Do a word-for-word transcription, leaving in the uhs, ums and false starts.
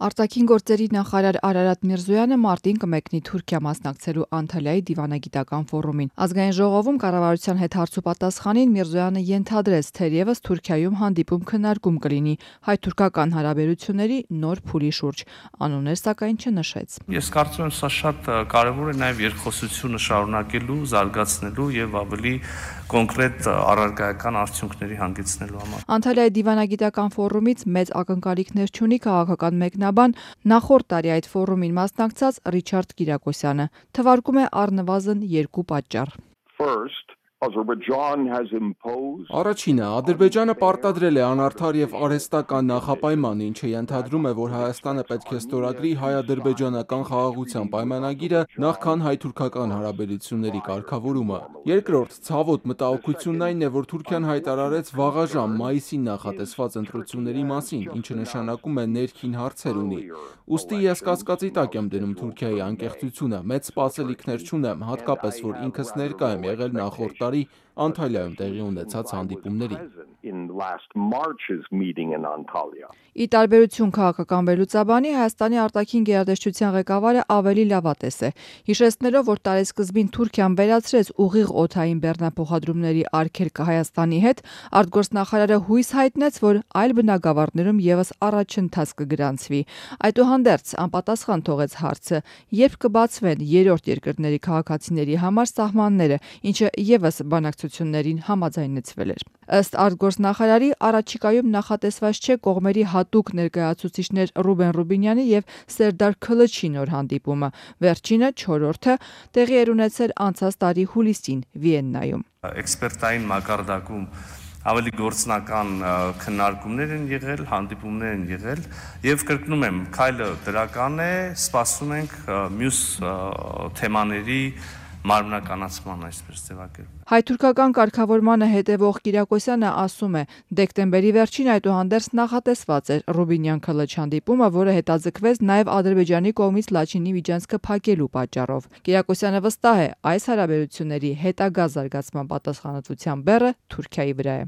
Արտաքին գործերի նախարար Արարատ Միրզոյանը մարտին կմեկնի Թուրքիա մասնակցելու Անտալիայի դիվանագիտական ֆորումին։ Ազգային ժողովում կառավարության հետ հարցուպատասխանին Միրզոյանը ենթադրեց, թերևս Թուրքիայում հանդիպում քննարկում կլինի հայ-թուրքական հարաբերությունների նոր փուլի շուրջ։ Անուններ սակայն չնշեց։ Ես կարծում եմ, սա շատ կարևոր է նաև երկխոսությունը շարունակելու, զարգացնելու եւ ավելի կոնկրետ առարկայական արդյունքների հանգեցնելու համար։ Անտալիայի դիվանագիտական ֆորումից մեծ ակնկալիքներ չունի քաղաքական մեկնաբան նախորդ տարի այդ ֆորումին մասնակցած Ռիչարդ Կիրակոսյանը։ Թվարկում է առնվազն երկու պատճառ։ Առաջինը, Ադրբեջանը պարտադրել է անարդար եւ արհեստական նախապայման, ինչը ենթադրում է, որ Հայաստանը պետք է ստորագրի հայ-ադրբեջանական խաղաղության պայմանագիրը նախքան հայ-թուրքական հարաբերությունների կարգավորումը։ Երկրորդ, ցավոտ մտահոգությունն այն է, որ Թուրքիան հայտարարեց վաղաժամ մայիսին նախատեսված ընտրությունների մասին, ինչը նշանակում է ներքին հարցեր ունի։ Ուստի ես կասկածի տակ եմ դնում Թուրքիայի անկեղծությունը, մեծ սպասելիքներ չունեմ, հատկապես որ ինքս ներկա եմ եղել նախորդ տարի Անտալիայում տեղի ունեցած հանդիպումներին։ Ի տարբերություն քաղաքական վերլուծաբանի, Հայաստանի արտաքին գերատեսչության ղեկավարը ավելի լավատես է, հիշեցնելով, որ տարեսկզբին Թուրքիան վերացրեց ուղիղ օդային բեռնափոխադրումների արգելքը Հայաստանի հետ, արտգործնախարարը հույս հայտնեց, որ այլ բնագավառներում ևս առաջընթաց կգրանցվի։ Այդուհանդերձ անպատասխան թողեց հարցը, երբ կբացվեն երրորդ երկրների քաղաքացիների համար սահմանները, ինչը ևս բանակցություններին համաձայնեցվել էր։ Ըստ արտգործնախարարի, առաջիկայում նախատեսված չէ կողմերի հատուկ ներկայացուցիչներ Ռուբեն Ռուբինյանի եւ Սերդար Քլչի նոր հանդիպումը։ Վերջինը չորրորդը տեղի էր ունեցել անցած տարի հուլիսին Վիեննայում։ Էքսպերտային մակարդակում ավելի գործնական քննարկումներ են եղել, հանդիպումներ են եղել եւ կրկնում եմ, քայլը դրական է, սպասում ենք մյուս թեմաների մարմնականացման, այսպես ձևակերպ։ Հայ-թուրքական կարգավորմանը հետևող Կիրակոսյանը ասում է, դեկտեմբերի վերջին այդուհանդերձ նախատեսված էր Ռուբինյան-Քլչ հանդիպումը, որը հետաձգվեց նաև Ադրբեջանի կողմից Լաչինի միջանցքը փակելու պատճառով։ Կիրակոսյանը վստահ է, այս հարաբերությունների հետագա զարգացման պատասխանատվության բեռը Թուրքիայի վրա է։